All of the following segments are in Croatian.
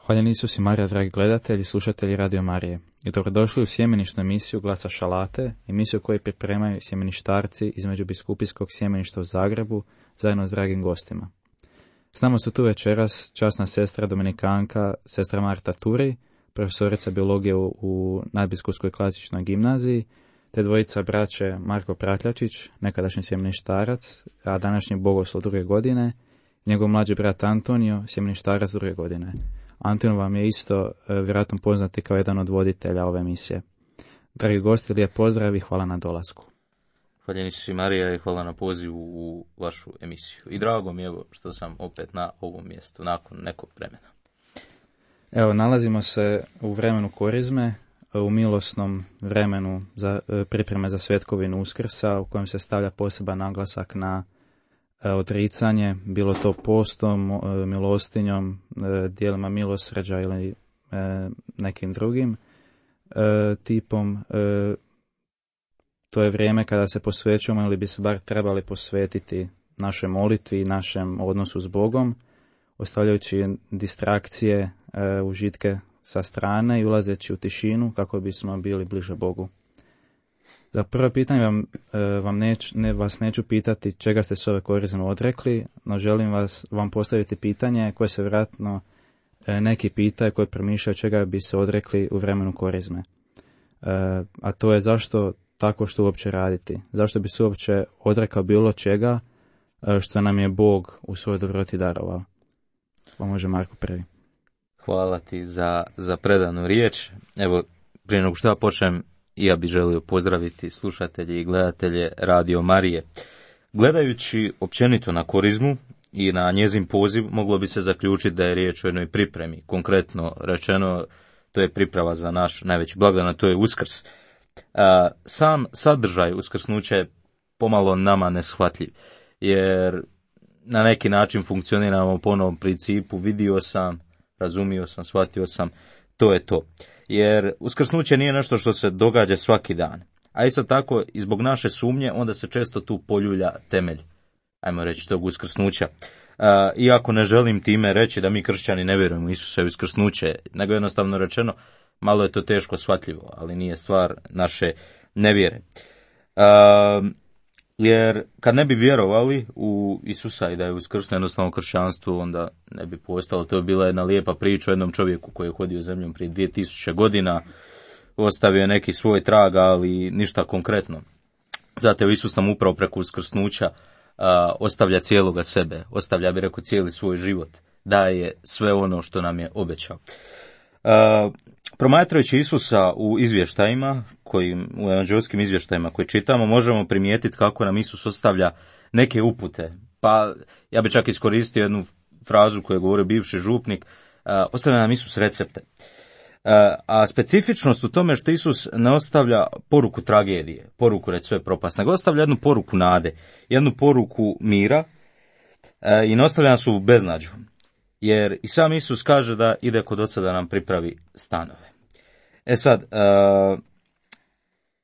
Hvaljeni Isus i Marija, dragi gledatelji i slušatelji Radio Marije. I dobrodošli u sjemenišnu emisiju Glasa Šalate, emisiju koju pripremaju sjemeništarci između biskupijskog sjemeništa u Zagrebu, zajedno s dragim gostima. S nama su tu večeras časna sestra dominikanka, sestra Marta Turi, profesorica biologije u Nadbiskupskoj klasičnoj gimnaziji, te dvojica braće Marko Pratljačić, nekadašnji sjemeništarac, a današnji bogoslov 2. godine, i njegov mlađi brat Antonio, sjemeništarac 2. godine. Antonio vam je isto vjerojatno poznati kao jedan od voditelja ove emisije. Dragi gosti, lijep pozdrav i hvala na dolasku. Hvala Isus i Marija i hvala na pozivu u vašu emisiju. I drago mi je što sam opet na ovom mjestu nakon nekog vremena. Evo, nalazimo se u vremenu Korizme, u milosnom vremenu za pripreme za Svetkovinu Uskrsa, u kojem se stavlja poseban naglasak na odricanje, bilo to postom, milostinjom, dijelima milosrđa ili nekim drugim tipom. To je vrijeme kada se posvećujemo ili bi se bar trebali posvetiti našoj molitvi i našem odnosu s Bogom, ostavljajući distrakcije, užitke sa strane i ulazeći u tišinu kako bismo bili bliže Bogu. Za prvo pitanje vas neću pitati čega ste se ove Korizme odrekli, no želim vam postaviti pitanje koje se vjerojatno neki pitaju koji promišljaju čega bi se odrekli u vremenu Korizme. A to je zašto tako što uopće raditi? Zašto bi se uopće odrekao bilo čega što nam je Bog u svojoj dobroti darovao? Pa može Marko prvi. Hvala ti za predanu riječ. Evo, prije nego što ja počnem, ja bih želio pozdraviti slušatelje i gledatelje Radio Marije. Gledajući općenito na Korizmu i na njezin poziv, moglo bi se zaključiti da je riječ o jednoj pripremi. Konkretno rečeno, to je priprava za naš najveći blagdan, a to je Uskrs. Sam sadržaj uskrsnuća je pomalo nama neshvatljiv, jer na neki način funkcioniramo po onom principu vidio sam, razumio sam, shvatio sam, to je to. Jer uskrsnuće nije nešto što se događa svaki dan. A isto tako, i zbog naše sumnje, onda se često tu poljulja temelj, ajmo reći, tog uskrsnuća. Iako ne želim time reći da mi kršćani ne vjerujemo u Isusa i uskrsnuće, nego jednostavno rečeno, malo je to teško shvatljivo, ali nije stvar naše nevjere. Jer kad ne bi vjerovali u Isusa i da je uskrsnuo jednostavno kršćanstvo, onda ne bi postalo. To je bila jedna lijepa priča o jednom čovjeku koji je hodio zemljom prije 2000 godina, ostavio je neki svoj trag, ali ništa konkretno. Zato Isus nam upravo preko uskrsnuća ostavlja cijeloga sebe, ostavlja, bi rekao, cijeli svoj život, daje sve ono što nam je obećao. Promatrajući Isusa u izvještajima, u evanđelskim izvještajima koje čitamo, možemo primijetiti kako nam Isus ostavlja neke upute. Pa ja bih čak iskoristio jednu frazu koju je govorio bivši župnik, ostavlja nam Isus recepte. A specifičnost u tome što Isus ne ostavlja poruku tragedije, poruku reći sve propast, nego ostavlja jednu poruku nade, jednu poruku mira i ne ostavlja nas u beznađu. Jer i sam Isus kaže da ide kod Oca da nam pripravi stanove. Sad,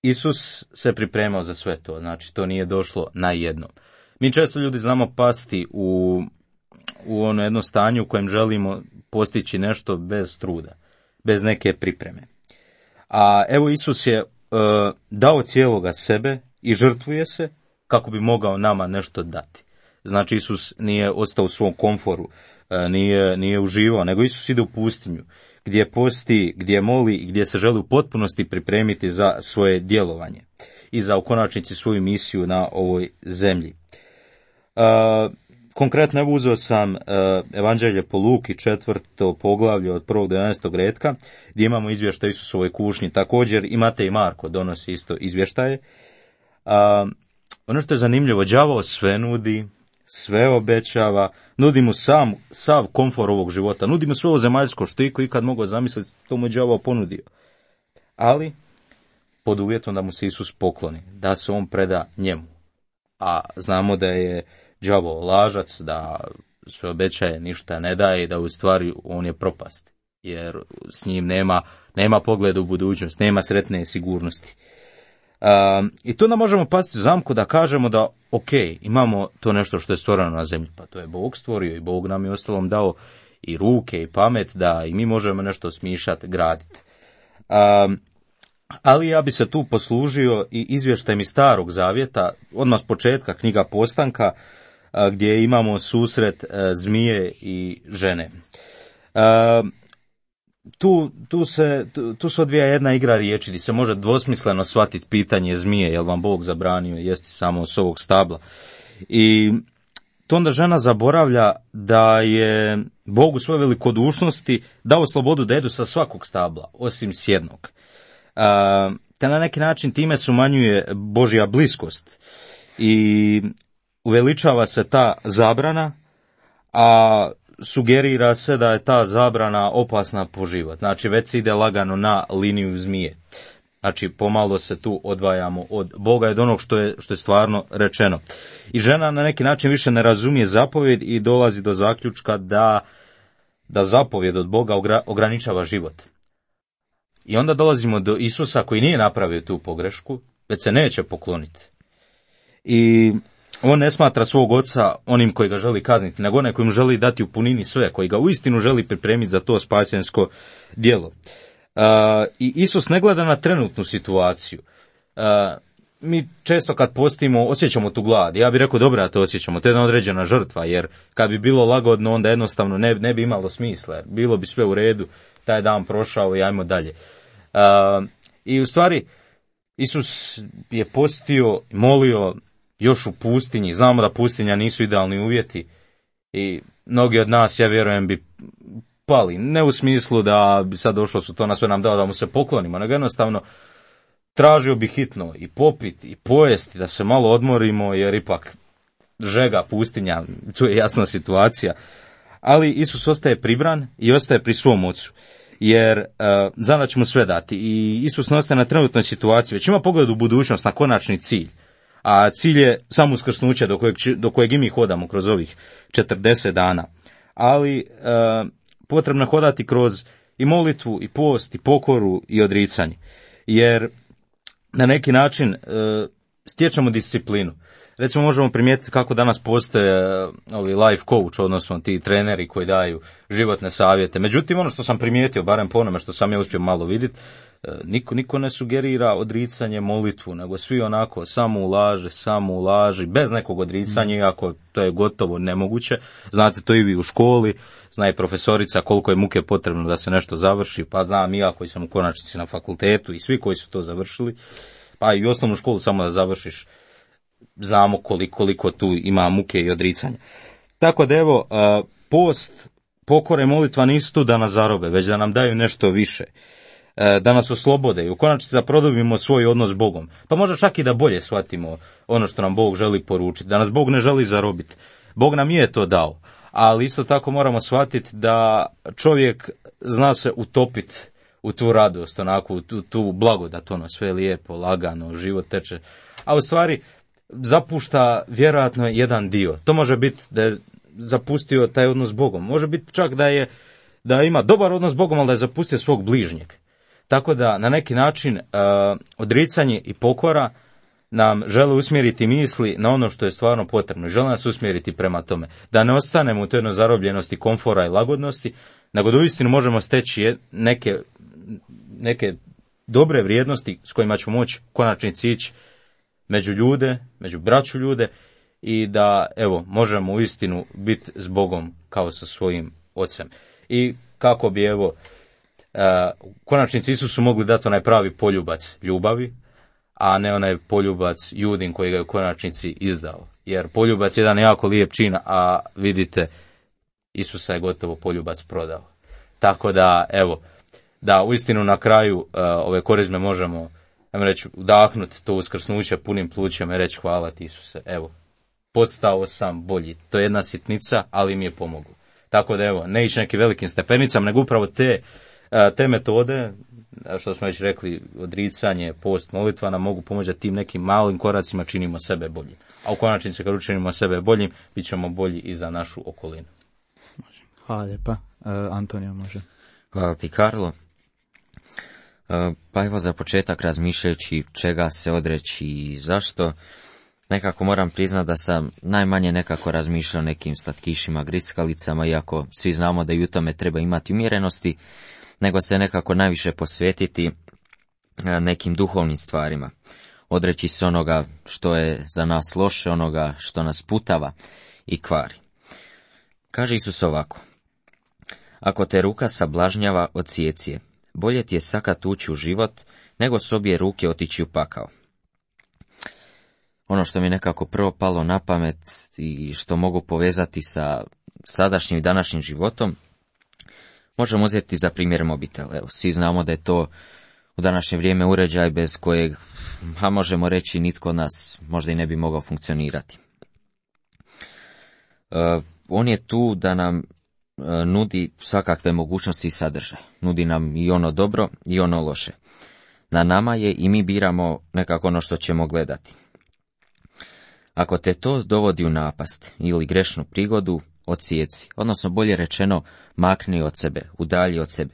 Isus se pripremao za sve to, znači to nije došlo najednom. Mi često ljudi znamo pasti u ono jedno stanje u kojem želimo postići nešto bez truda, bez neke pripreme. A evo Isus je dao cijeloga sebe i žrtvuje se kako bi mogao nama nešto dati. Znači Isus nije ostao u svom komforu, nije uživao, nego Isus ide u pustinju, gdje posti, gdje moli i gdje se želi u potpunosti pripremiti za svoje djelovanje i za u konačnici svoju misiju na ovoj zemlji. Konkretno evo uzeo sam Evanđelje po Luki, 4. poglavlje od 1. do 11. retka, gdje imamo izvještaj Isusovoj kušnji. Također i Matej i Marko donosi isto izvještaje. Ono što je zanimljivo, đavao sve nudi, sve obećava, nudi mu sav komfor ovog života, nudi mu sve ovo zemaljsko što iko ikad mogao zamisliti, to mu je đavao ponudio. Ali pod uvjetom da mu se Isus pokloni, da se on preda njemu. A znamo da je đavo lažac, da sve obećaje, ništa ne daje i da u stvari on je propast. Jer s njim nema pogleda u budućnost, nema sretne sigurnosti. I tu nam možemo pasti u zamku da kažemo da ok, imamo to nešto što je stvoreno na zemlji, pa to je Bog stvorio i Bog nam je ostalom dao i ruke i pamet da i mi možemo nešto smišljati, graditi. Ali ja bi se tu poslužio i izvještajem iz Starog Zavjeta, odmah s početka knjiga Postanka, gdje imamo susret zmije i žene. Tu se odvija jedna igra riječi, gdje se može dvosmisleno shvatiti pitanje zmije, jel vam Bog zabranio jesti samo s ovog stabla. I to onda žena zaboravlja da je Bog u svojoj velikodušnosti dao slobodu da jedu sa svakog stabla, osim s jednog. Te na neki način time se umanjuje Božja bliskost i uveličava se ta zabrana, a sugerira se da je ta zabrana opasna po život. Znači već se ide lagano na liniju zmije. Znači pomalo se tu odvajamo od Boga i od onog što je stvarno rečeno. I žena na neki način više ne razumije zapovjed i dolazi do zaključka da zapovjed od Boga ograničava život. I onda dolazimo do Isusa koji nije napravio tu pogrešku, već se neće pokloniti. I on ne smatra svog oca onim koji ga želi kazniti, nego onaj koji mu želi dati u punini sve, koji ga uistinu želi pripremiti za to spasensko djelo. I Isus ne gleda na trenutnu situaciju. Mi često kad postimo osjećamo tu glad. Ja bih rekao dobro da to osjećamo, to je jedna određena žrtva, jer kad bi bilo lagodno onda jednostavno ne bi imalo smisla, bilo bi sve u redu, taj dan prošao i ajmo dalje. I u stvari Isus je postio, molio još u pustinji. Znamo da pustinja nisu idealni uvjeti i mnogi od nas, ja vjerujem, bi pali. Ne u smislu da bi sad došlo su to na sve nam dao da mu se poklonimo, nego jednostavno tražio bi hitno i popiti i pojesti, da se malo odmorimo, jer ipak žega, pustinja, tu je jasna situacija. Ali Isus ostaje pribran i ostaje pri svom ocu, jer zna da će mu sve dati. I Isus ne ostaje na trenutnoj situaciji, već ima pogled u budućnost, na konačni cilj. A cilj je samo uskrsnuće do kojeg i mi hodamo kroz ovih 40 dana. Ali potrebno je hodati kroz i molitvu, i post, i pokoru, i odricanje. Jer na neki način stječemo disciplinu. Recimo možemo primijetiti kako danas postoje ovi life coach, odnosno ti treneri koji daju životne savjete. Međutim, ono što sam primijetio, barem po onome što sam ja uspio malo vidjeti, niko ne sugerira odricanje, molitvu, nego svi onako samo ulaži, bez nekog odricanja, iako to je gotovo nemoguće. Znate to i vi u školi, zna i profesorica koliko je muke potrebno da se nešto završi, pa znam i ja koji sam u konačnici na fakultetu i svi koji su to završili, pa i osnovnu školu samo da završiš, znamo koliko tu ima muke i odricanja. Tako da evo, post, pokora i molitva nisu tu da nas zarobe, već da nam daju nešto više, da nas oslobode i u konačnici da produbimo svoj odnos s Bogom. Pa možda čak i da bolje shvatimo ono što nam Bog želi poručiti, da nas Bog ne želi zarobiti. Bog nam je to dao, ali isto tako moramo shvatiti da čovjek zna se utopiti u tu radost, onako, u tu blagodat, ono, sve lijepo, lagano, život teče, a u stvari zapušta vjerojatno jedan dio. To može biti da je zapustio taj odnos s Bogom. Može biti čak da ima dobar odnos s Bogom, ali da je zapustio svog bližnjeg. Tako da na neki način odricanje i pokora nam žele usmjeriti misli na ono što je stvarno potrebno. Žele nas usmjeriti prema tome. Da ne ostanemo u toj jednoj zarobljenosti komfora i lagodnosti, nego da uistinu možemo steći neke dobre vrijednosti s kojima ćemo moći konačnici ići među ljude, među braću ljude i da, evo, možemo uistinu biti s Bogom kao sa svojim ocem. I kako bi, evo, u konačnici Isusu mogli dati onaj pravi poljubac ljubavi, a ne onaj poljubac Judin koji ga je u konačnici izdao. Jer poljubac je jedan jako lijep čin, a vidite, Isusa je gotovo poljubac prodao. Tako da, evo, da uistinu na kraju ove korizme možemo, ajmo reći, udahnuti to uskrsnuće punim plućem i reći hvala ti Isuse, evo, postao sam bolji. To je jedna sitnica, ali mi je pomoglo. Tako da, evo, ne ići nekim velikim stepenicama, nego upravo te metode, što smo već rekli, odricanje, post, molitva, nam mogu pomoći da tim nekim malim koracima činimo sebe boljim. A u konačnici kad učinimo sebe boljim, bit ćemo bolji i za našu okolinu. Hvala lijepa. Antonio može. Hvala ti, Karlo. Pa evo za početak, razmišljajući čega se odreći i zašto, nekako moram priznati da sam najmanje nekako razmišljao o nekim slatkišima, grickalicama, iako svi znamo da i u tome treba imati umjerenosti, nego se nekako najviše posvetiti nekim duhovnim stvarima. Odreći se onoga što je za nas loše, onoga što nas putava i kvari. Kaže Isus ovako: ako te ruka sablažnjava, odsijeci je. Bolje ti je sakat ući u život, nego s obje ruke otići u pakao. Ono što mi nekako prvo palo na pamet i što mogu povezati sa sadašnjim i današnjim životom, možemo uzeti za primjer mobitel. Evo, svi znamo da je to u današnje vrijeme uređaj bez kojeg, a možemo reći, nitko od nas možda i ne bi mogao funkcionirati. On je tu da nam nudi svakakve mogućnosti i sadržaje. Nudi nam i ono dobro i ono loše. Na nama je i mi biramo nekako ono što ćemo gledati. Ako te to dovodi u napast ili grešnu prigodu, odsijeci, odnosno bolje rečeno, makni od sebe, udalji od sebe,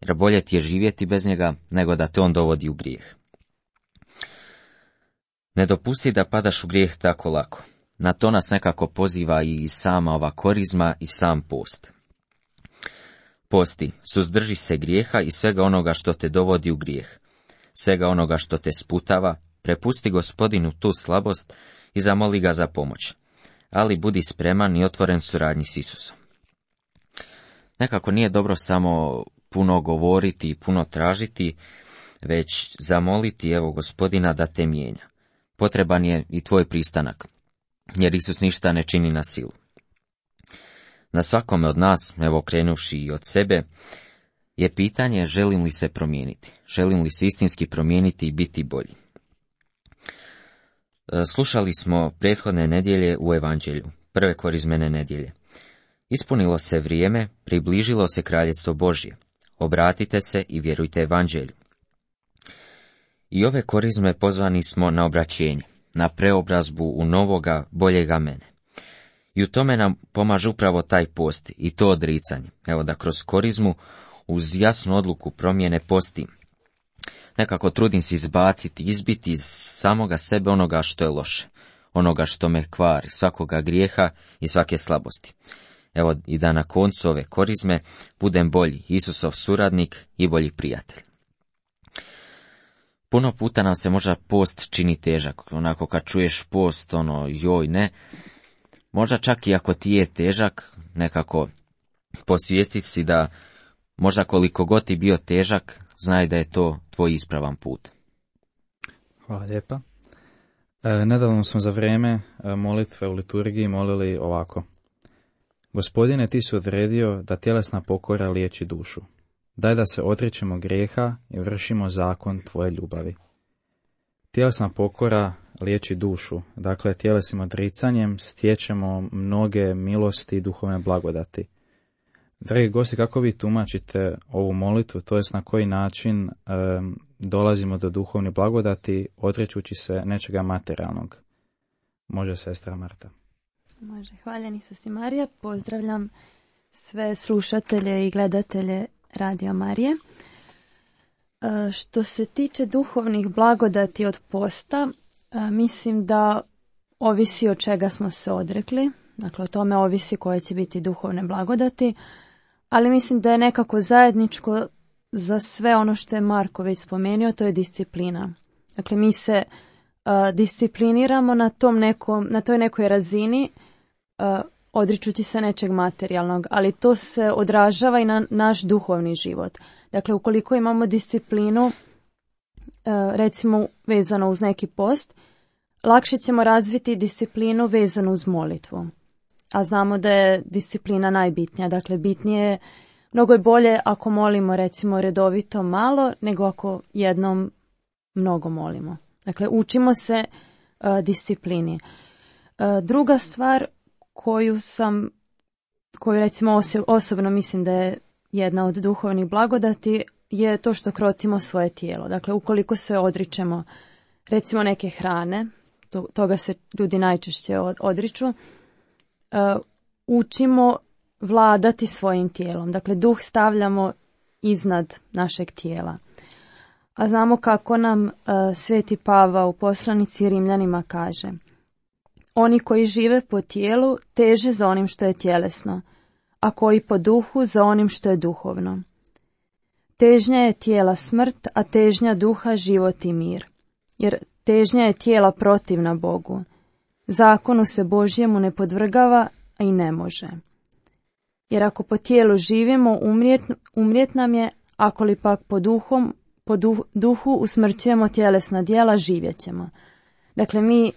jer bolje ti je živjeti bez njega nego da te on dovodi u grijeh. Ne dopusti da padaš u grijeh tako lako. Na to nas nekako poziva i sama ova korizma i sam post. Posti, suzdrži se grijeha i svega onoga što te dovodi u grijeh, svega onoga što te sputava, prepusti Gospodinu tu slabost i zamoli ga za pomoć, ali budi spreman i otvoren suradnji s Isusom. Nekako nije dobro samo puno govoriti i puno tražiti, već zamoliti evo Gospodina da te mijenja. Potreban je i tvoj pristanak, jer Isus ništa ne čini na silu. Na svakome od nas, evo krenuvši i od sebe, je pitanje želim li se promijeniti, želim li se istinski promijeniti i biti bolji. Slušali smo prethodne nedjelje u Evanđelju, prve korizmene nedjelje. Ispunilo se vrijeme, približilo se kraljestvo Božje. Obratite se i vjerujte Evanđelju. I ove korizme pozvani smo na obraćenje, na preobrazbu u novoga, boljega mene. I u tome nam pomaže upravo taj post i to odricanje. Evo da kroz korizmu uz jasnu odluku promjene postim. Nekako trudim se izbaciti, izbiti iz samoga sebe onoga što je loše, onoga što me kvari, svakoga grijeha i svake slabosti. Evo i da na koncu ove korizme budem bolji, Isusov suradnik i bolji prijatelj. Puno puta nam se možda post čini težak, onako kad čuješ post, joj ne. Možda čak i ako ti je težak, nekako posvijestiti si da možda koliko god ti bio težak, znaj da je to tvoj ispravan put. Hvala lijepa. Nedavno smo za vrijeme molitve u liturgiji molili ovako: Gospodine, ti si odredio da tjelesna pokora liječi dušu. Daj da se odričemo grijeha i vršimo zakon tvoje ljubavi. Tjelesna pokora liječi dušu, dakle tjelesnim odricanjem stječemo mnoge milosti i duhovne blagodati. Dragi gosti, kako vi tumačite ovu molitvu, to jest na koji način dolazimo do duhovne blagodati odrećući se nečega materijalnog? Može sestra Marta. Može, hvaljen Isus i Marija. Pozdravljam sve slušatelje i gledatelje Radio Marije. Što se tiče duhovnih blagodati od posta, mislim da ovisi od čega smo se odrekli. Dakle, o tome ovisi koje će biti duhovne blagodati, ali mislim da je nekako zajedničko za sve ono što je Marko već spomenuo, to je disciplina. Dakle, mi se discipliniramo na toj nekoj razini, odričući se nečeg materijalnog, ali to se odražava i na naš duhovni život. Dakle, ukoliko imamo disciplinu, recimo vezano uz neki post, lakše ćemo razviti disciplinu vezanu uz molitvu. A znamo da je disciplina najbitnija. Dakle, bitnije, mnogo je bolje ako molimo recimo redovito malo, nego ako jednom mnogo molimo. Dakle, učimo se disciplini. Druga stvar koju recimo osobno mislim da je jedna od duhovnih blagodati je to što krotimo svoje tijelo. Dakle, ukoliko se odričemo recimo neke hrane, toga se ljudi najčešće odriču, učimo vladati svojim tijelom. Dakle, duh stavljamo iznad našeg tijela. A znamo kako nam Sveti Pavao u poslanici Rimljanima kaže: oni koji žive po tijelu teže za onim što je tjelesno, a koji po duhu za onim što je duhovno. Težnja je tijela smrt, a težnja duha život i mir. Jer težnja je tijela protivna Bogu. Zakonu se Božjemu ne podvrgava, a i ne može. Jer ako po tijelu živimo, umrijet nam je, ako li pak po duhu usmrćujemo tjelesna djela, živjet ćemo. Dakle, mi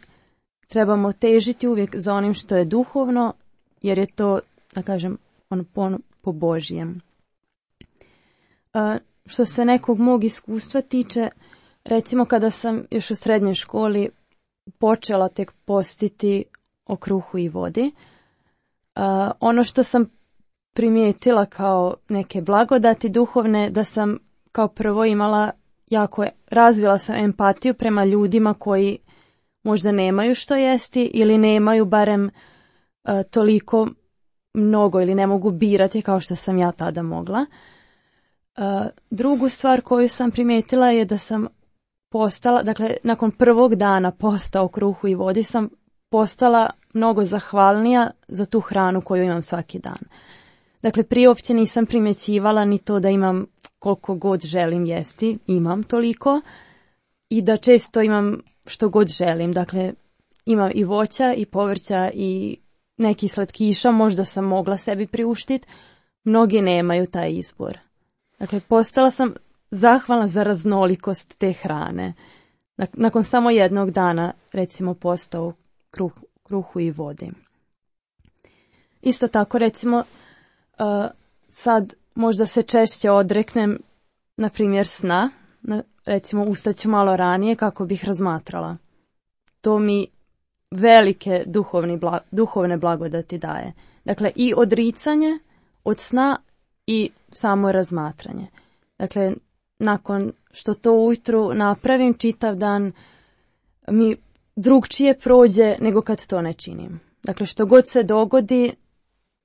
trebamo težiti uvijek za onim što je duhovno, jer je to, da kažem, po Božjem. Što se nekog mog iskustva tiče, recimo kada sam još u srednjoj školi počela tek postiti o kruhu i vodi, ono što sam primijetila kao neke blagodati duhovne, da sam kao prvo razvila sam empatiju prema ljudima koji možda nemaju što jesti ili nemaju barem toliko mnogo ili ne mogu birati kao što sam ja tada mogla. Drugu stvar koju sam primijetila je da sam postala, dakle nakon prvog dana posta o kruhu i vodi sam postala mnogo zahvalnija za tu hranu koju imam svaki dan. Dakle, prije uopće nisam primjećivala ni to da imam koliko god želim jesti, imam toliko, i da često imam što god želim. Dakle, imam i voća i povrća i neki slatkiša, možda sam mogla sebi priuštiti, mnogi nemaju taj izbor. Dakle, postala sam zahvalna za raznolikost te hrane. Nakon samo jednog dana, recimo, posta o kruhu i vodi. Isto tako, recimo, sad možda se češće odreknem, na primjer, sna. Recimo, ustaću malo ranije kako bih razmatrala. To mi velike duhovne blagodati daje. Dakle, i odricanje od sna i samo razmatranje. Dakle, nakon što to ujutru napravim, čitav dan mi drugčije prođe nego kad to ne činim. Dakle, što god se dogodi,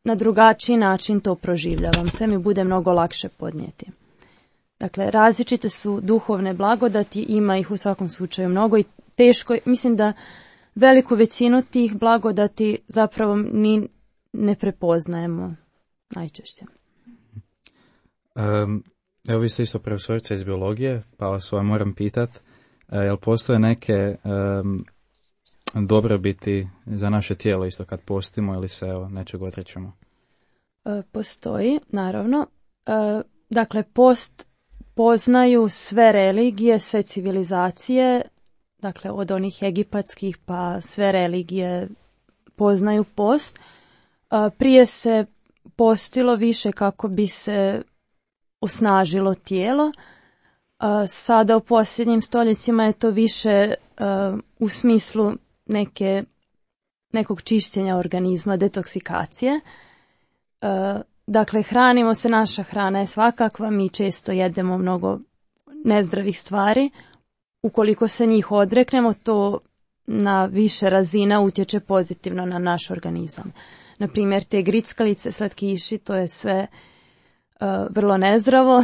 na drugačiji način to proživljavam. Sve mi bude mnogo lakše podnijeti. Dakle, različite su duhovne blagodati, ima ih u svakom slučaju mnogo i teško, mislim da veliku većinu tih blagodati zapravo ni ne prepoznajemo najčešće. Evo, vi ste isto profesorica iz biologije, pa vas moram pitati, jel postoje neke dobrobiti za naše tijelo isto kad postimo ili se nečeg odrećemo? Postoji, naravno. Dakle, post poznaju sve religije, sve civilizacije, dakle od onih egipatskih pa sve religije poznaju post. Prije se postilo više kako bi se osnažilo tijelo. Sada u posljednjim stoljećima je to više u smislu nekog čišćenja organizma, detoksikacije. Dakle, hranimo se, naša hrana je svakakva, mi često jedemo mnogo nezdravih stvari. Ukoliko se njih odreknemo, to na više razina utječe pozitivno na naš organizam. Na primjer, te grickalice, slatkiši, to je sve vrlo nezdravo.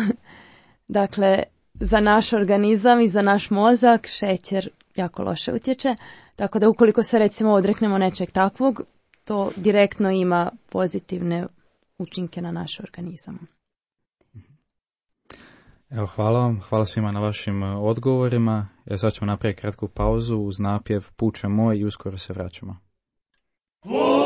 Dakle, za naš organizam i za naš mozak šećer jako loše utječe. Tako da ukoliko se recimo odreknemo nečeg takvog, to direktno ima pozitivne učinke na naš organizam. Evo, hvala vam, hvala svima na vašim odgovorima. Sad ćemo napraviti kratku pauzu uz napjev Puče moj i uskoro se vraćamo. Ah!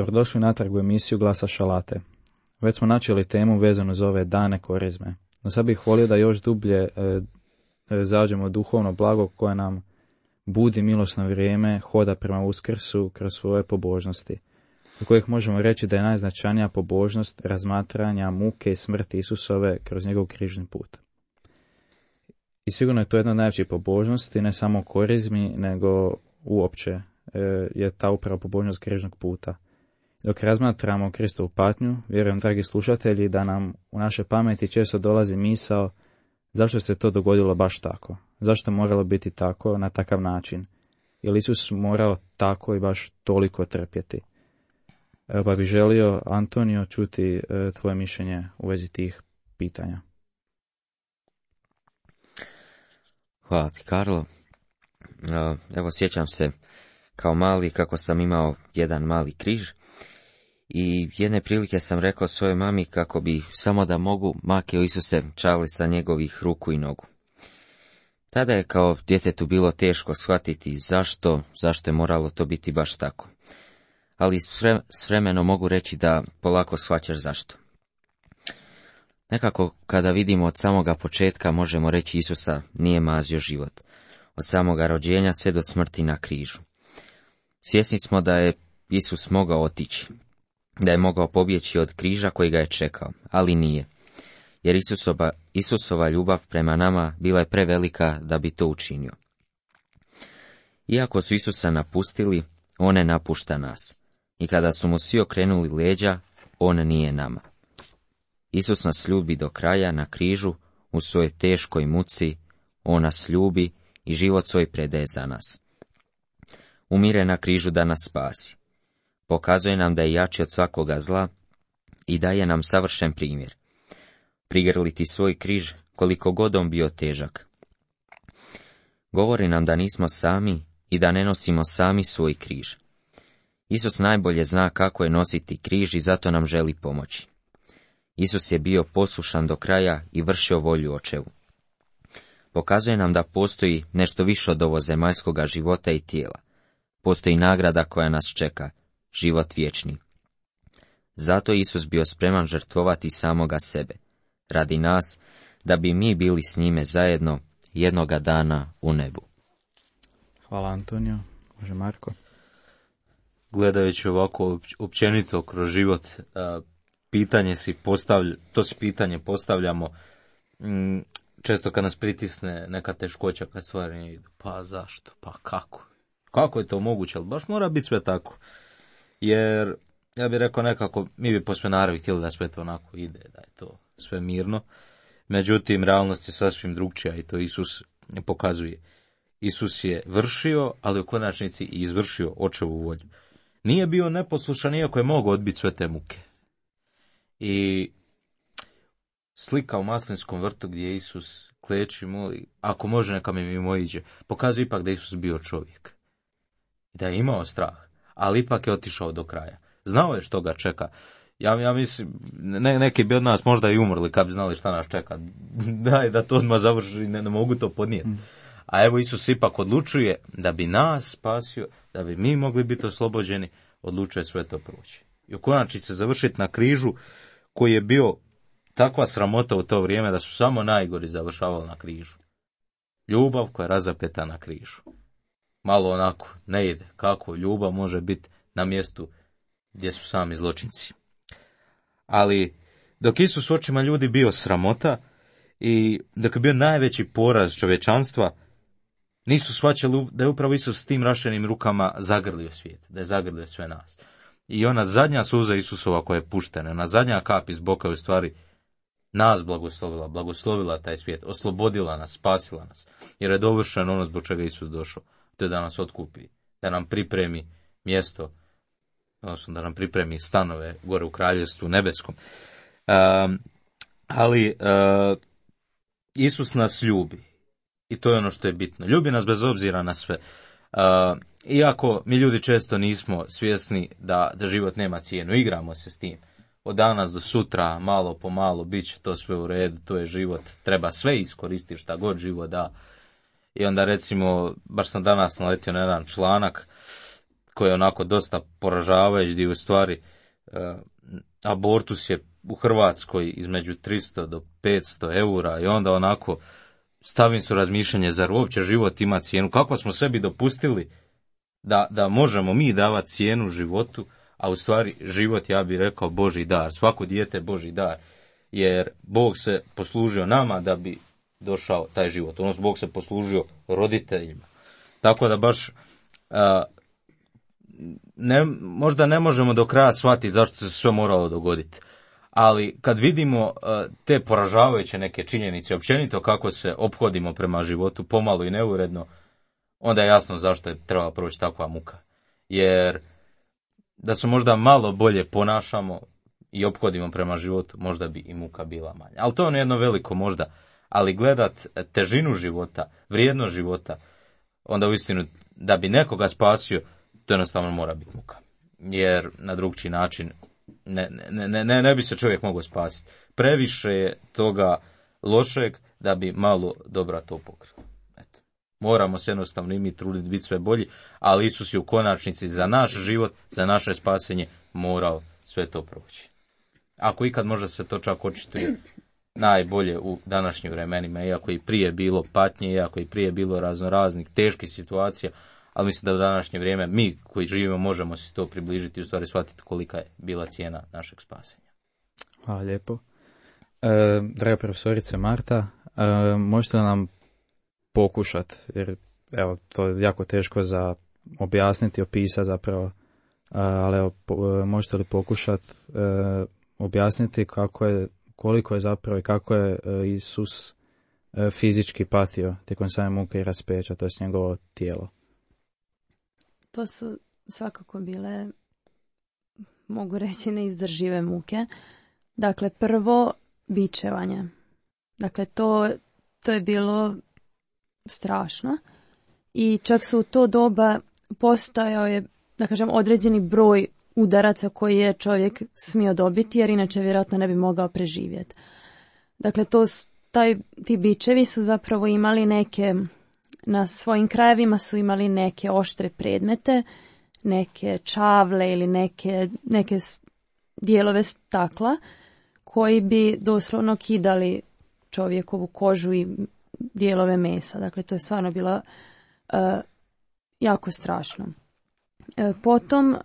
Dobrodošli natrag u emisiju Glasa Šalate. Već smo načeli temu vezanu za ove dane Korizme, no sad bih volio da još dublje zađemo duhovno blago koje nam budi milosno vrijeme hoda prema Uskrsu kroz svoje pobožnosti, od kojih možemo reći da je najznačajnija pobožnost razmatranja muke i smrti Isusove kroz njegov križni put. I sigurno je to jedna od najvećih pobožnosti, ne samo u Korizmi, nego uopće je ta upravo pobožnost križnog puta. Dok razmatramo Kristovu patnju, vjerujem, dragi slušatelji, da nam u naše pameti često dolazi misao zašto se to dogodilo baš tako, zašto je moralo biti tako, na takav način, jer Isus morao tako i baš toliko trpjeti. Pa bih želio, Antonio, čuti tvoje mišljenje u vezi tih pitanja. Hvala ti, Karlo. Evo, sjećam se kao mali kako sam imao jedan mali križ i jedne prilike sam rekao svojoj mami kako bi samo da mogu makio Isuse čali sa njegovih ruku i nogu. Tada je kao djetetu bilo teško shvatiti zašto je moralo to biti baš tako. Ali s vremenom mogu reći da polako shvaćaš zašto. Nekako kada vidimo od samoga početka možemo reći Isusa nije mazio život. Od samoga rođenja sve do smrti na križu. Svjesni smo da je Isus mogao otići, da je mogao pobjeći od križa koji ga je čekao, ali nije. Jer Isusova ljubav prema nama bila je prevelika da bi to učinio. Iako su Isusa napustili, on ne napušta nas. I kada su mu svi okrenuli leđa, on nije nama. Isus nas ljubi do kraja na križu, u svojoj teškoj muci, on nas ljubi i život svoj predaje za nas. Umire na križu da nas spasi. Pokazuje nam da je jači od svakoga zla i daje nam savršen primjer. Prigrliti svoj križ koliko god on bio težak. Govori nam da nismo sami i da ne nosimo sami svoj križ. Isus najbolje zna kako je nositi križ i zato nam želi pomoći. Isus je bio poslušan do kraja i vršio volju Očevu. Pokazuje nam da postoji nešto više od ovo zemaljskoga života i tijela. Postoji nagrada koja nas čeka, život vječni. Zato je Isus bio spreman žrtvovati samoga sebe, radi nas, da bi mi bili s njime zajedno jednoga dana u nebu. Hvala, Antonio. Može Marko. Gledajući ovako općenito kroz život, to si pitanje postavljamo često kad nas pritisne neka teškoća, kad stvari ne idu. Pa zašto? Pa kako? Kako je to moguće? Ali baš mora biti sve tako. Jer, ja bih rekao nekako, mi bi po sve naravi htjeli da sve to onako ide, da je to sve mirno. Međutim, realnost je sasvim drugčija i to Isus pokazuje. Isus je vršio, ali u konačnici i izvršio Očevu volju. Nije bio neposlušan, iako je mogao odbiti sve te muke. I slika u maslinskom vrtu gdje Isus kleči, moli, ako može neka mi mimoiđe, pokazuje ipak da Isus bio čovjek. I da je imao strah, ali ipak je otišao do kraja. Znao je što ga čeka. Ja mislim, neki bi od nas možda i umrli kad bi znali šta nas čeka. Daj da to odmah završi, ne mogu to podnijeti. A evo Isus ipak odlučuje da bi nas spasio, da bi mi mogli biti oslobođeni, odlučuje sve to proći. I u konačnici završiti na križu koji je bio takva sramota u to vrijeme da su samo najgori završavali na križu. Ljubav koja je razapeta na križu. Malo onako ne ide. Kako ljubav može biti na mjestu gdje su sami zločinci. Ali dok Isus u očima ljudi bio sramota i dok je bio najveći poraz čovječanstva, nisu shvaćali da je upravo Isus s tim rašenim rukama zagrlio svijet, da je zagrlio sve nas. I ona zadnja suza Isusova koja je puštena, ona zadnja kap iz boka je u stvari nas blagoslovila taj svijet, oslobodila nas, spasila nas, jer je dovršeno ono zbog čega Isus došao, to je da nas otkupi, da nam pripremi mjesto, odnosno da nam pripremi stanove gore u kraljevstvu nebeskom. Ali Isus nas ljubi i to je ono što je bitno. Ljubi nas bez obzira na sve. Iako mi ljudi često nismo svjesni da život nema cijenu, igramo se s tim. Od danas do sutra, malo po malo, bit će to sve u redu, to je život, treba sve iskoristiti šta god život da. I onda recimo, baš sam danas naletio na jedan članak, koji je onako dosta poražavajući, gdje u stvari abortus je u Hrvatskoj između 300 do 500 eura i onda onako stavim su razmišljanje, zar uopće život ima cijenu? Kako smo sebi dopustili da možemo mi davati cijenu životu, a u stvari život, ja bih rekao, Božji dar. Svako dijete je Božji dar, jer Bog se poslužio nama da bi došao taj život. Odnosno, Bog se poslužio roditeljima. Tako da baš možda ne možemo do kraja shvatiti zašto se sve moralo dogoditi. Ali kad vidimo te poražavajuće neke činjenice, općenito kako se ophodimo prema životu, pomalo i neuredno, onda je jasno zašto je trebala proći takva muka. Jer da se možda malo bolje ponašamo i ophodimo prema životu, možda bi i muka bila manja. Ali to je jedno veliko možda. Ali gledat težinu života, vrijednost života, onda uistinu da bi nekoga spasio, to jednostavno mora biti muka. Jer na drugčiji način ne bi se čovjek mogao spasiti. Previše je toga lošeg da bi malo dobra to pokrilo. Eto. Moramo se jednostavno i mi truditi biti sve bolji, ali Isus je u konačnici za naš život, za naše spasenje morao sve to proći. Ako ikad možda se to čak očituje najbolje u današnjim vremenima, iako i prije bilo patnje, iako i prije bilo raznoraznih teških situacija, ali mislim da u današnje vrijeme mi koji živimo možemo se to približiti i u stvari shvatiti kolika je bila cijena našeg spasenja. Hvala lijepo. Draga profesorice Marta, možete li nam pokušati, jer evo, to je jako teško za objasniti, opisati zapravo, ali evo, možete li pokušati objasniti koliko je zapravo i kako je Isus fizički patio tijekom same muke i raspeća, to je njegovo tijelo? To su svakako bile, mogu reći, neizdržive muke. Dakle, prvo bičevanje. Dakle, to je bilo strašno. I čak su u to doba postojao je, da kažem, određeni broj udaraca koji je čovjek smio dobiti, jer inače vjerojatno ne bi mogao preživjeti. Dakle, ti bičevi su zapravo imali neke, na svojim krajevima su imali neke oštre predmete, neke čavle ili neke dijelove stakla koji bi doslovno kidali čovjekovu kožu i dijelove mesa. Dakle, to je stvarno bilo jako strašno. Potom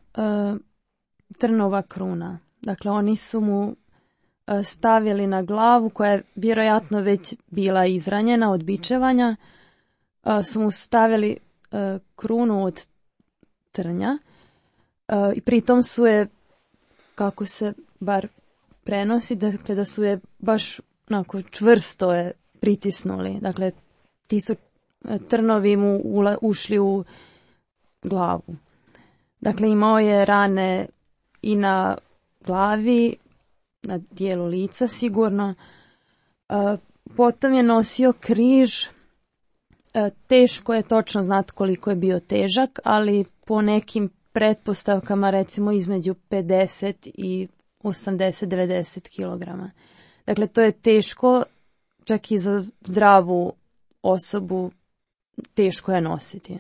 trnova kruna. Dakle, oni su mu stavili na glavu, koja je vjerojatno već bila izranjena od bičevanja, su mu stavili krunu od trnja i pritom su je, kako se bar prenosi, dakle, da su je baš onako čvrsto je pritisnuli. Dakle, ti su trnovi mu ušli u glavu. Dakle, imao je rane i na glavi, na dijelu lica sigurno. Potom je nosio križ. Teško je točno znati koliko je bio težak, ali po nekim pretpostavkama recimo između 50 i 80-90 kg. Dakle, to je teško, čak i za zdravu osobu teško je nositi.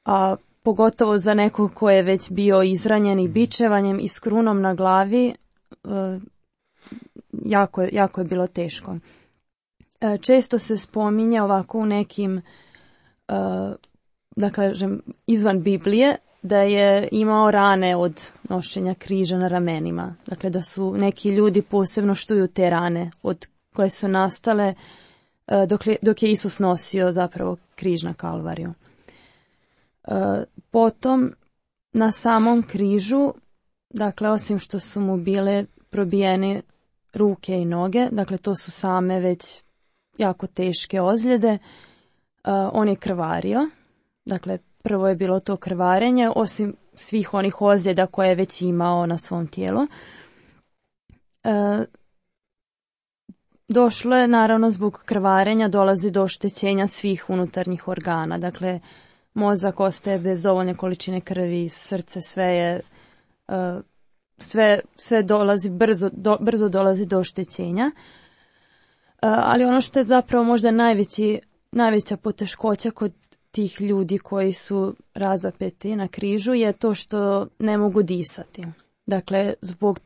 A pogotovo za nekog ko je već bio izranjen i bičevanjem i s krunom na glavi, jako je bilo teško. Često se spominje ovako u nekim, da kažem, izvan Biblije, da je imao rane od nošenja križa na ramenima. Dakle, da su neki ljudi posebno štuju te rane od koje su nastale dok je Isus nosio zapravo križ na Kalvariju. Potom na samom križu, dakle, osim što su mu bile probijene ruke i noge, dakle, to su same već jako teške ozljede, on je krvario. Dakle, prvo je bilo to krvarenje, osim svih onih ozljeda koje je već imao na svom tijelu. Došlo je, naravno, zbog krvarenja dolazi do oštećenja svih unutarnjih organa. Dakle, mozak ostaje bez dovoljne količine krvi, srce, sve dolazi, brzo dolazi do oštećenja. Ali ono što je zapravo možda najveća poteškoća kod tih ljudi koji su razapeti na križu je to što ne mogu disati. Dakle, zbog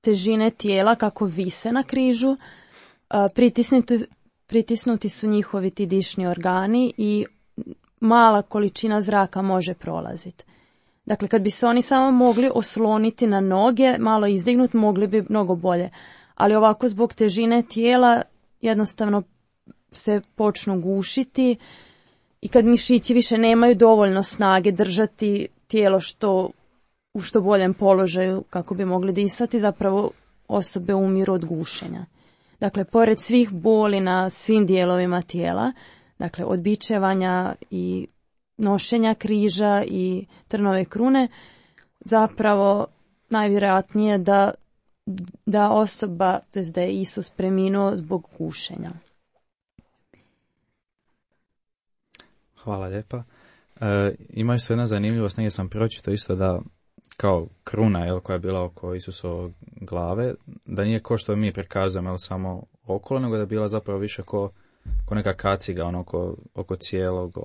težine tijela kako vise na križu, pritisnuti su njihovi ti dišni organi i mala količina zraka može prolaziti. Dakle, kad bi se oni samo mogli osloniti na noge, malo izdignuti, mogli bi mnogo bolje. Ali ovako zbog težine tijela jednostavno se počnu gušiti i kad mišići više nemaju dovoljno snage držati tijelo u što boljem položaju kako bi mogli disati, zapravo osobe umiru od gušenja. Dakle, pored svih boli na svim dijelovima tijela, dakle od bičevanja i nošenja križa i trnove krune, zapravo najvjerojatnije da osoba, tj. da je Isus preminuo zbog gušenja. Hvala lijepa. Ima isto jedna zanimljivost, negdje sam pročitao isto da kao kruna koja je bila oko Isusove glave, da nije ko što mi prikazujemo samo okolo, nego da je bila zapravo više ko neka kaciga oko cijelog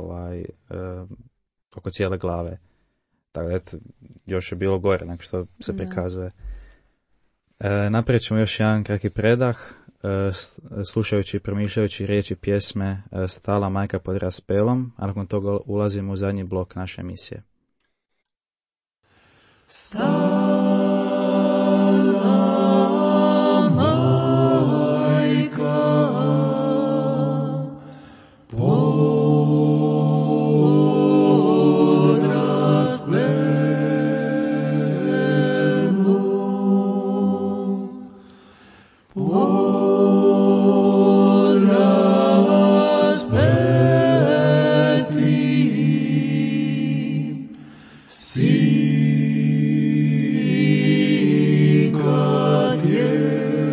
oko cijele glave. Tako da još je bilo gore nego što se prikazuje. Napravit ćemo još jedan kratki predah, slušajući i promišljajući riječi pjesme Stala majka pod raspelom, a nakon toga ulazimo u zadnji blok naše emisije. Stala majka pod raspelom, pod raspetim sinka tjelom,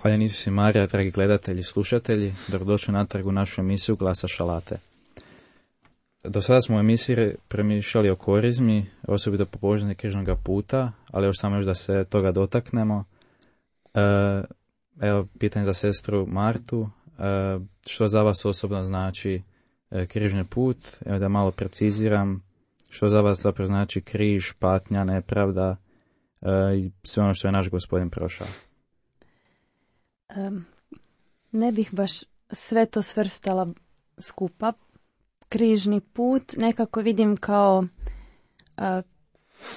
Hvala Isus i Marija, dragi gledatelji i slušatelji, dobrodošli natrag u našu emisiju Glasa šalate. Do sada smo u emisiji premišljali o korizmi, osobito po pobožnosti križnoga puta, ali još da se toga dotaknemo. Evo, pitanje za sestru Martu, što za vas osobno znači križni put? Evo da malo preciziram, što za vas zapravo znači križ, patnja, nepravda i sve ono što je naš Gospodin prošao. Ne bih baš sve to svrstala skupa. Križni put nekako vidim kao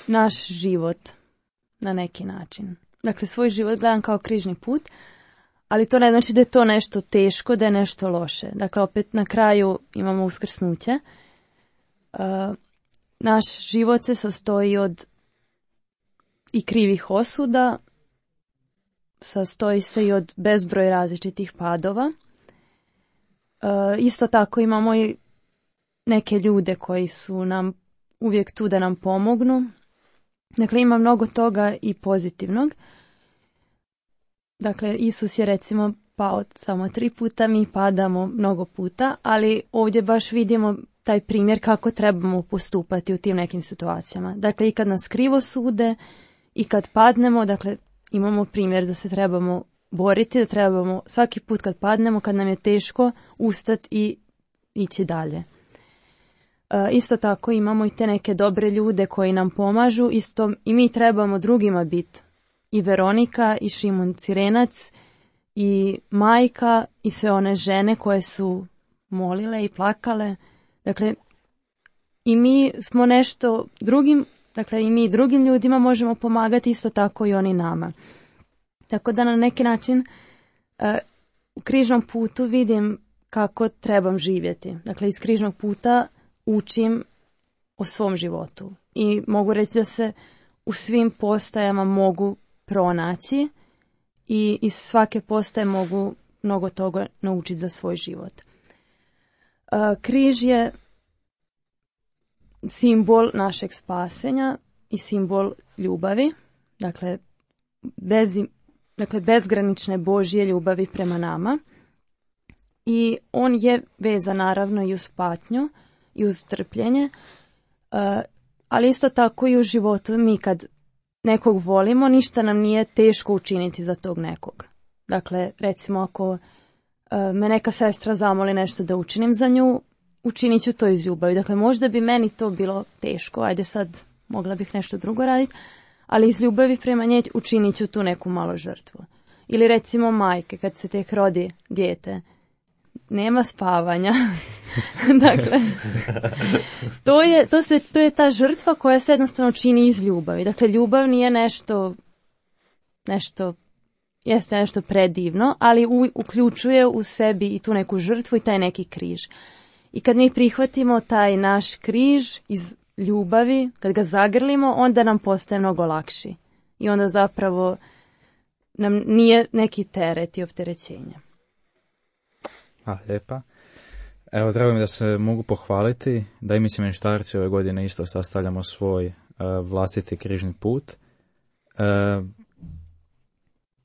naš život na neki način. Dakle, svoj život gledam kao križni put, ali to ne znači da je to nešto teško, da je nešto loše. Dakle, opet na kraju imamo uskrsnuće. Naš život se sastoji od i krivih osuda, sastoji se i od bezbroj različitih padova. Isto tako imamo i neke ljude koji su nam uvijek tu da nam pomognu. Dakle, ima mnogo toga i pozitivnog. Dakle, Isus je recimo pao samo 3 puta, mi padamo mnogo puta, ali ovdje baš vidimo taj primjer kako trebamo postupati u tim nekim situacijama. Dakle, i kad nas krivo sude i kad padnemo, dakle, imamo primjer da se trebamo boriti, da trebamo svaki put kad padnemo, kad nam je teško, ustati i ići dalje. Isto tako imamo i te neke dobre ljude koji nam pomažu, isto i mi trebamo drugima biti. I Veronika, i Šimun Cirenac, i majka, i sve one žene koje su molile i plakale. Dakle, i mi smo nešto drugim, dakle i mi drugim ljudima možemo pomagati, isto tako i oni nama. Tako da na neki način u križnom putu vidim kako trebam živjeti. Dakle, iz križnog puta učim o svom životu. I mogu reći da se u svim postajama mogu pronaći i iz svake postaje mogu mnogo toga naučiti za svoj život. Križ je simbol našeg spasenja i simbol ljubavi, dakle bezgranične Božje ljubavi prema nama. I on je vezan naravno i uz patnju i uz trpljenje, ali isto tako i u životu. Mi kad nekog volimo, ništa nam nije teško učiniti za tog nekog. Dakle, recimo ako me neka sestra zamoli nešto da učinim za nju, učinit ću to iz ljubavi. Dakle, možda bi meni to bilo teško, ajde sad mogla bih nešto drugo raditi, ali iz ljubavi prema njej učinit ću tu neku malu žrtvu. Ili recimo majke, kad se tek rodi dijete, nema spavanja. Dakle, to je ta žrtva koja se jednostavno čini iz ljubavi. Dakle, ljubav nije jeste nešto predivno, ali uključuje u sebi i tu neku žrtvu i taj neki križ. I kad mi prihvatimo taj naš križ iz ljubavi, kad ga zagrlimo, onda nam postaje mnogo lakši. I onda zapravo nam nije neki teret i opterećenje. Lijepa. Evo, drago mi da se mogu pohvaliti da i mi semeništarci ove godine isto sastavljamo svoj vlastiti križni put.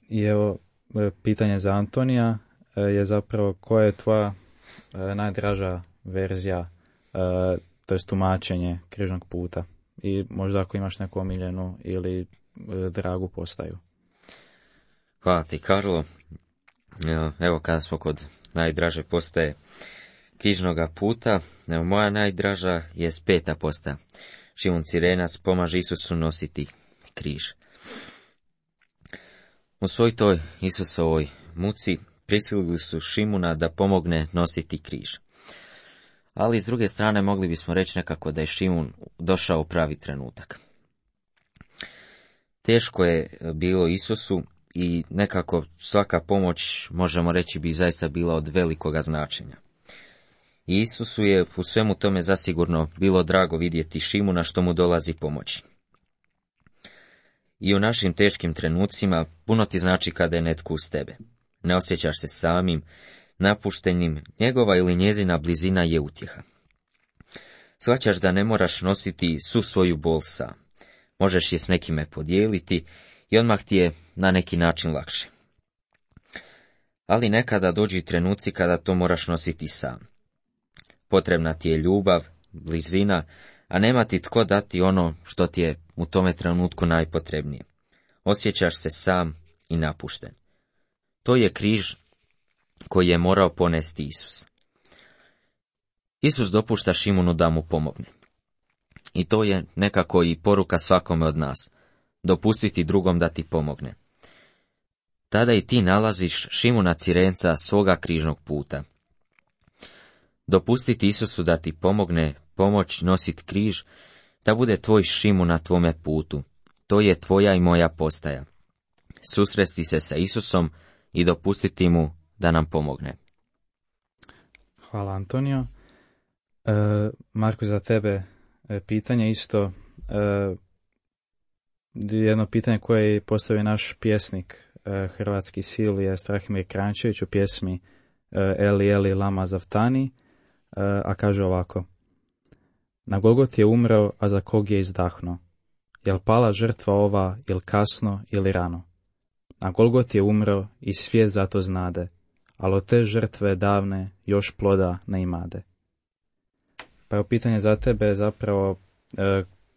I evo, pitanje za Antonija je zapravo koja je tvoja najdraža verzija, to je tumačenje križnog puta, i možda ako imaš neku omiljenu ili dragu postaju. Hvala ti, Karlo. Evo, kada smo kod najdraže postaje križnoga puta, moja najdraža je 5. postaja. Šimun Cirenac pomaže Isusu nositi križ. U svoj toj Isusovoj muci prisilili su Šimuna da pomogne nositi križ. Ali s druge strane mogli bismo reći nekako da je Šimun došao u pravi trenutak. Teško je bilo Isusu i nekako svaka pomoć, možemo reći, bi zaista bila od velikoga značenja. I Isusu je u svemu tome zasigurno bilo drago vidjeti Šimuna što mu dolazi pomoći. I u našim teškim trenucima puno ti znači kada je netko uz tebe. Ne osjećaš se samim, napuštenim, njegova ili njezina blizina je utjeha. Shvaćaš da ne moraš nositi svu svoju bol sam. Možeš je s nekime podijeliti i odmah ti je na neki način lakše. Ali nekada dođu i trenuci kada to moraš nositi sam. Potrebna ti je ljubav, blizina, a nema ti tko dati ono što ti je u tome trenutku najpotrebnije. Osjećaš se sam i napušten. To je križ koji je morao ponesti Isus. Isus dopušta Šimunu da mu pomogne. I to je nekako i poruka svakome od nas. Dopustiti drugom da ti pomogne. Tada i ti nalaziš Šimuna Cirenca svoga križnog puta. Dopustiti Isusu da ti pomogne, pomoć nositi križ, da bude tvoj Šimun na tvome putu. To je tvoja i moja postaja. Susresti se sa Isusom i dopustiti mu da nam pomogne. Hvala, Antonio. Marko, za tebe pitanje isto. jedno pitanje koje je postavio naš pjesnik hrvatski Silvije Strahimir Krančević u pjesmi Eli Eli lama zaftani, a kaže ovako: Na Golgoti je umreo, a za kog je izdahno? Jel pala žrtva ova, ili kasno, ili rano? Na Golgoti je umreo i svijet zato znade, ali od te žrtve davne još ploda ne imade. Pa je pitanje za tebe je zapravo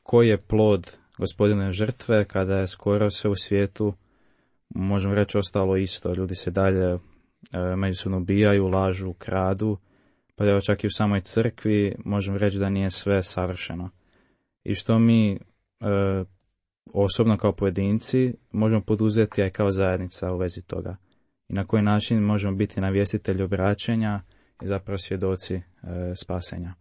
koji je plod Gospodine žrtve kada je skoro sve u svijetu, možemo reći, ostalo isto. Ljudi se dalje međusobno ubijaju, lažu, kradu, pa evo čak i u samoj crkvi možemo reći da nije sve savršeno. I što mi osobno kao pojedinci možemo poduzeti, a i kao zajednica u vezi toga. I na koji način možemo biti navjestitelji obraćenja i zapravo svjedoci spasenja.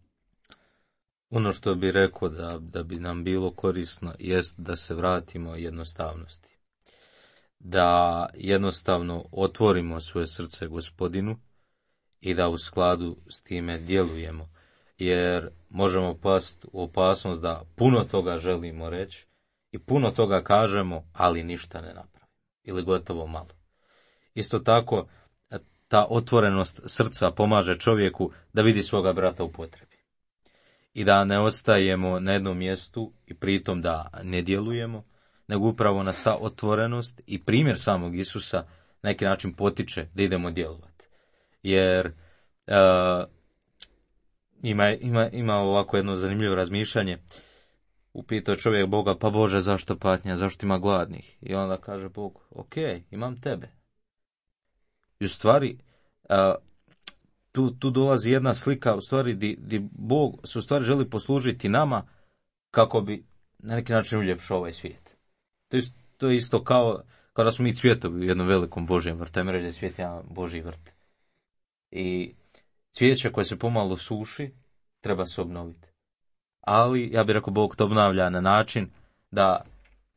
Ono što bi rekao da bi nam bilo korisno jest da se vratimo jednostavnosti. Da jednostavno otvorimo svoje srce Gospodinu i da u skladu s time djelujemo. Jer možemo pasti u opasnost da puno toga želimo reći i puno toga kažemo, ali ništa ne napravimo. Ili gotovo malo. Isto tako, ta otvorenost srca pomaže čovjeku da vidi svoga brata u potrebi. I da ne ostajemo na jednom mjestu i pritom da ne djelujemo, nego upravo nas ta otvorenost i primjer samog Isusa na neki način potiče da idemo djelovati. Jer ima ovako jedno zanimljivo razmišljanje. Upitao čovjek Boga: pa Bože, zašto patnja, zašto ima gladnih? I onda kaže Bog: ok, imam tebe. I u stvari, tu dolazi jedna slika, u stvari, di Bog se u stvari želi poslužiti nama kako bi na neki način uljepšao ovaj svijet. To je isto kao da smo mi cvjetovi u jednom velikom Božjem vrtu. Ajmo reći da je svijet jedan Božji vrt. I cvijeće koje se pomalo suši, treba se obnoviti. Ali, ja bih rekao, Bog to obnavlja na način da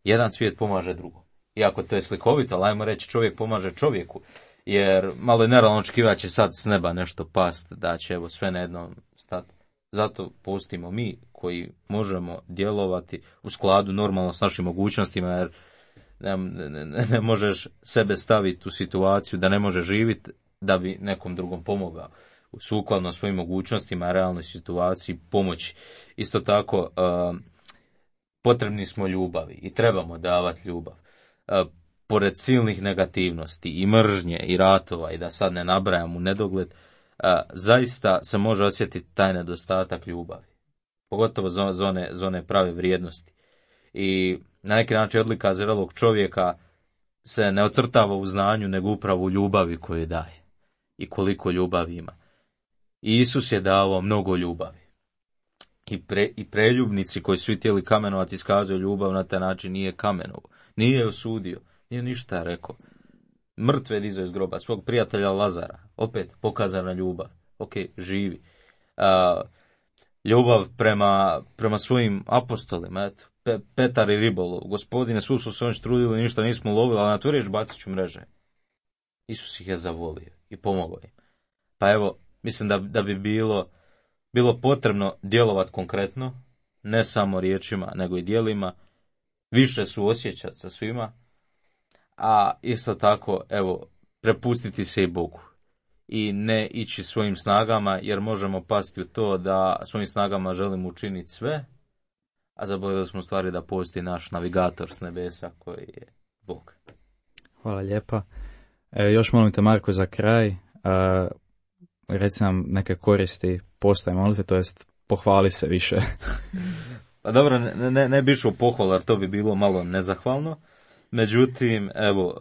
jedan cvijet pomaže drugom. Iako to je slikovito, ali ajmo reći, čovjek pomaže čovjeku. Jer malo je nerealno očekivati će sad s neba nešto past, da će evo sve na jednom stati. Zato postimo mi koji možemo djelovati u skladu normalno s našim mogućnostima, jer ne možeš sebe staviti u situaciju da ne može živjeti da bi nekom drugom pomogao. Sukladno svojim mogućnostima, realnoj situaciji pomoći. Isto tako, potrebni smo ljubavi i trebamo davati ljubav. Pored silnih negativnosti i mržnje i ratova, i da sad ne nabrajam u nedogled, zaista se može osjetiti taj nedostatak ljubavi. Pogotovo za one prave vrijednosti. I na neki način odlika zrelog čovjeka se ne ocrtava u znanju, nego upravo u ljubavi koju daje. I koliko ljubavi ima. I Isus je davao mnogo ljubavi. I preljubnici koji su htjeli kamenovati iskazuju ljubav na taj način, nije kamenovo. Nije je osudio. Nije ništa rekao. Mrtve dizao iz groba, svog prijatelja Lazara. Opet pokazana ljubav. Ok, živi. Ljubav prema svojim apostolima. Eto, Petar i ribolov. Gospodine, svu su se oni trudili, ništa nismo lovili, ali na tvoju riječ bacit ću mreže. Isus ih je zavolio i pomogao im. Pa evo, mislim da bi bilo potrebno djelovati konkretno, ne samo riječima, nego i djelima, više suosjećati sa svima, a isto tako, evo, prepustiti se i Bogu i ne ići svojim snagama, jer možemo pasti u to da svojim snagama želimo učiniti sve, a zaboravili smo stvari da postoji naš navigator s nebesa koji je Bog. Hvala lijepa. Još molim te, Marko, za kraj, reci nam neke koristi postaje molitve, to jest pohvali se više. Pa dobro, ne bi išao pohval, jer to bi bilo malo nezahvalno. Međutim, evo,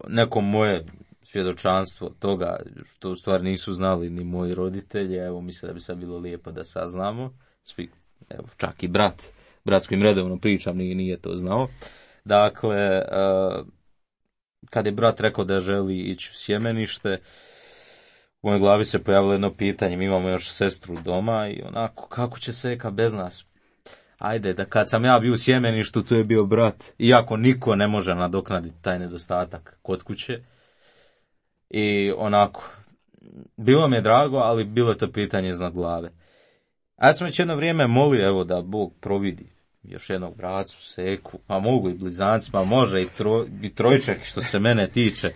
neko moje svjedočanstvo toga, što u stvari nisu znali ni moji roditelji, evo, mislim da bi sad bilo lijepo da saznamo. Svi, evo, čak i brat s kojim redovno pričam, nije to znao. Dakle, kad je brat rekao da želi ići u sjemenište, u mojoj glavi se pojavilo jedno pitanje. Mi imamo još sestru doma i onako, kako će Seka bez nas? Ajde, da kad sam ja bio u sjemeništu, tu je bio brat. Iako niko ne može nadoknaditi taj nedostatak kod kuće. I onako, bilo mi je drago, ali bilo je to pitanje iznad glave. A ja sam već jedno vrijeme molio, evo, da Bog providi. još jednog bracu, seku, pa mogu i blizanci, pa može i trojčak što se mene tiče,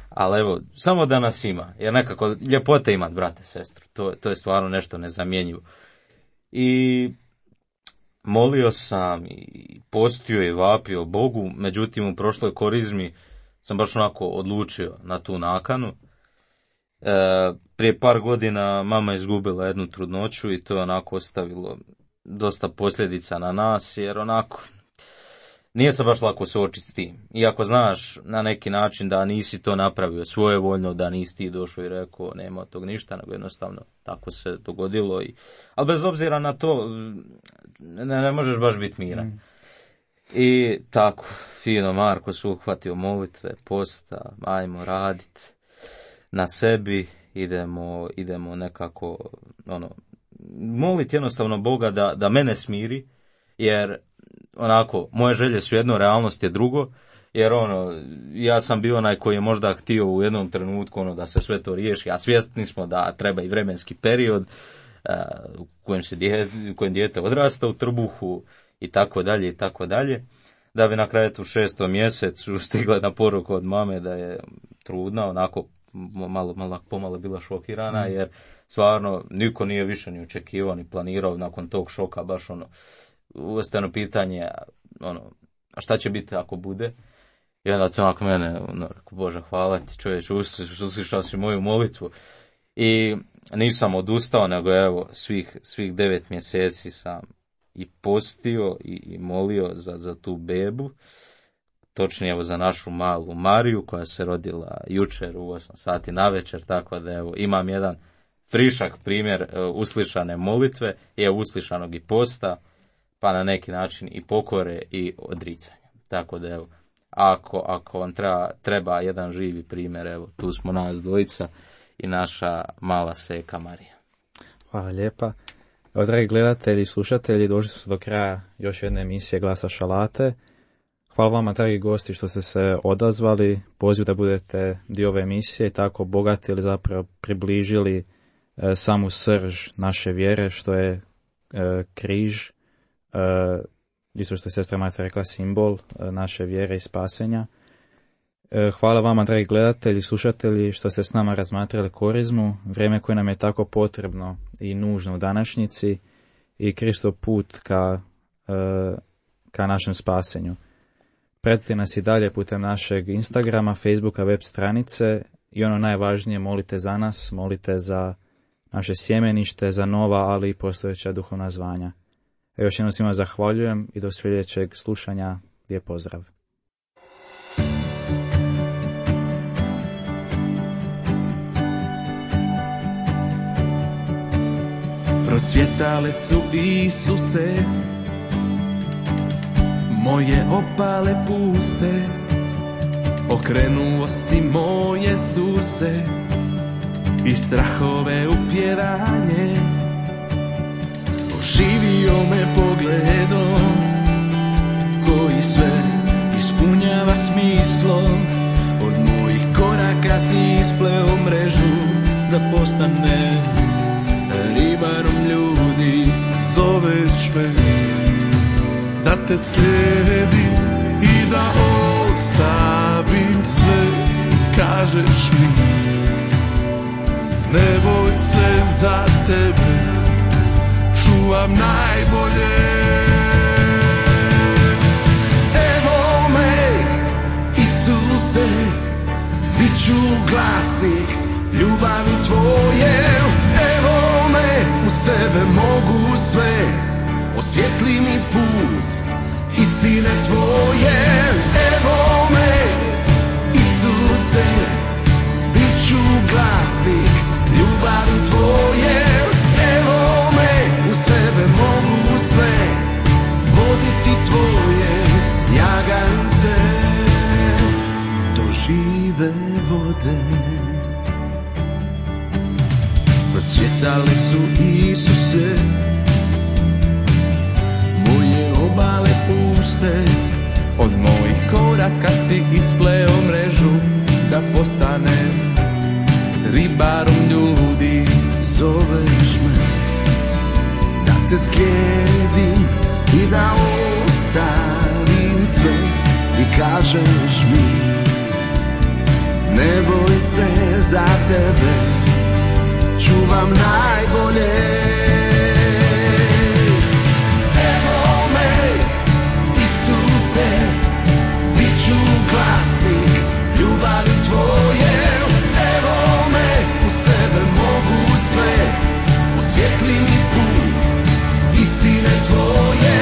ali evo, samo da nas ima, jer nekako ljepote imat brate, sestru, to je stvarno nešto nezamjenjivo. I molio sam i postio i vapio Bogu, međutim u prošloj korizmi sam baš onako odlučio na tu nakanu. Prije par godina mama izgubila jednu trudnoću i to je onako ostavilo dosta posljedica na nas, jer onako nije se baš lako suočiti s tim. Iako znaš na neki način da nisi to napravio svojevoljno, da nisi ti došao i rekao nema od tog ništa, nego jednostavno tako se dogodilo. Ali bez obzira na to ne možeš baš biti miran. I tako, fino Marko se uhvatio molitve, posta, ajmo raditi na sebi, idemo nekako moliti jednostavno Boga da mene smiri, jer onako moje želje su jedno, realnost je drugo, jer ja sam bio onaj koji je možda htio u jednom trenutku da se sve to riješi, a svjesni smo da treba i vremenski period u kojem dijete odrasta u trbuhu i tako dalje, da bi na kraju u 6. mjesecu stigla na poruku od mame da je trudna, onako pomalo bila šokirana, jer stvarno niko nije više ni očekivao ni planirao nakon tog šoka baš uvrsteno pitanje, a šta će biti ako bude? I onda to onako mene, Bože hvala ti čovječ, uslišao si moju molitvu. I nisam odustao, nego evo svih 9 mjeseci sam i postio i molio za tu bebu, točnije evo za našu malu Mariju koja se rodila jučer u 8 sati navečer, tako da evo imam jedan frišak primjer uslišane molitve, je uslišanog i posta, pa na neki način i pokore i odricanja. Tako da evo, ako vam treba jedan živi primjer, evo tu smo nas dvojica i naša mala seka Marija. Hvala lijepa. Evo, dragi gledatelji i slušatelji, došli smo do kraja još jedne emisije Glasa Šalate. Hvala vama, dragi gosti, što ste se odazvali, poziv da budete dio ove emisije i tako obogatili, zapravo približili samu srž naše vjere, što je križ, isto što je sestra Marta rekla, simbol naše vjere i spasenja. Hvala vama, dragi gledatelji i slušatelji, što ste s nama razmatrali korizmu, vrijeme koje nam je tako potrebno i nužno u današnjici i Kristov put ka našem spasenju. Pratite nas i dalje putem našeg Instagrama, Facebooka, web stranice i najvažnije, molite za nas, molite za naše sjemenište, za nova, ali i postojeća duhovna zvanja. Još jednom svima zahvaljujem i do sljedećeg slušanja. Lijep pozdrav. Procvjetale su Isuse, moje opale puste, okrenuo si moje suse i strahove u pjevanje. Oživio me pogledom koji sve ispunjava smislom. Od mojih koraka si ispleo mrežu da postanem ribarom ljudi. Zoveš me da te slijedim i da ostavim sve. Kažeš mi ne boj se, za tebe čuvam najbolje. Evo me Isuse, bit ću glasnik ljubavi tvoje. Evo me, uz tebe mogu sve, osvijetli mi put istine tvoje. Evo me Isuse, bit ću glasnik ljubavi tvoje. Evo me, uz tebe mogu sve, voditi tvoje jagance do žive vode. Procvjetali su Isuse, moje obale puste. Od mojih koraka si ispleo mrežu da postanem ribarom ljudi. Zoveš me da te slijedim i da ostavim sve i kažeš mi ne boj se, za tebe čuvam najbolje. Evo me, Isuse, bit ću glasnik ljubavi tvoje. Evo me, uz tebe mogu sve, osvijetli mi put istine tvoje.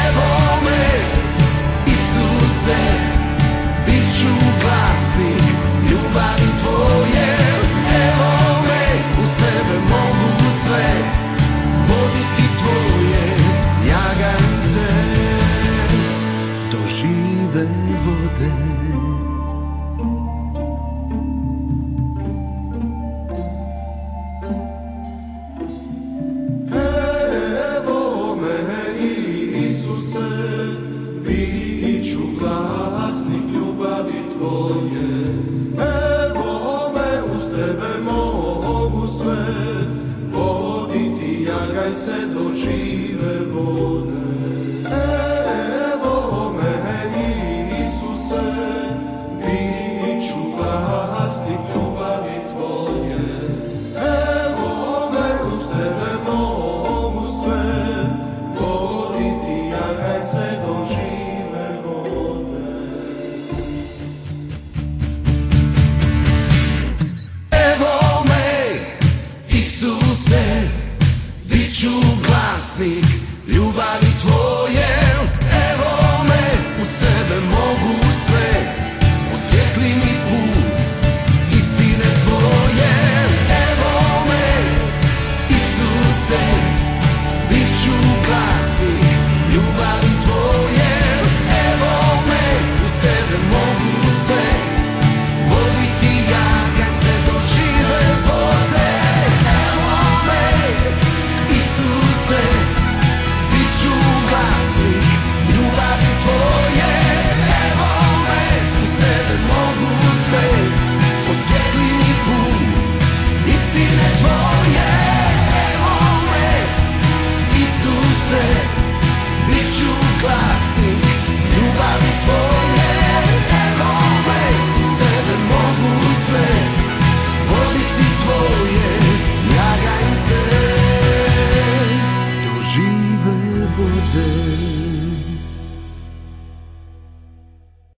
Evo me, Isuse, bit ću glasnik ljubavi tvoje. Evo me, uz tebe mogu sve, voditi tvoje ljagance do žive vode. Evo me, Isuse, bit ću glasnik ljubavi tvoje. Evo me, uz tebe mogu sve, voditi jagajce do žive vode. Evo me, Isuse, bit ću glasnik ljubavi tvoje. Evo me, uz tebe mogu sve, voditi jagajce do žive vode. Evo me, Isuse, bit ću glasnik ljubavi tvoje. Evo me, uz tebe mogu sve, osvijetli mi put istine tvoje. Evo me, Isuse, bit ću glasnik ljubavi tvoje. Evo me, uz tebe mogu sve, voditi jagajce do žive vode. Evo me, Isuse, bit ću glasnik ljubavi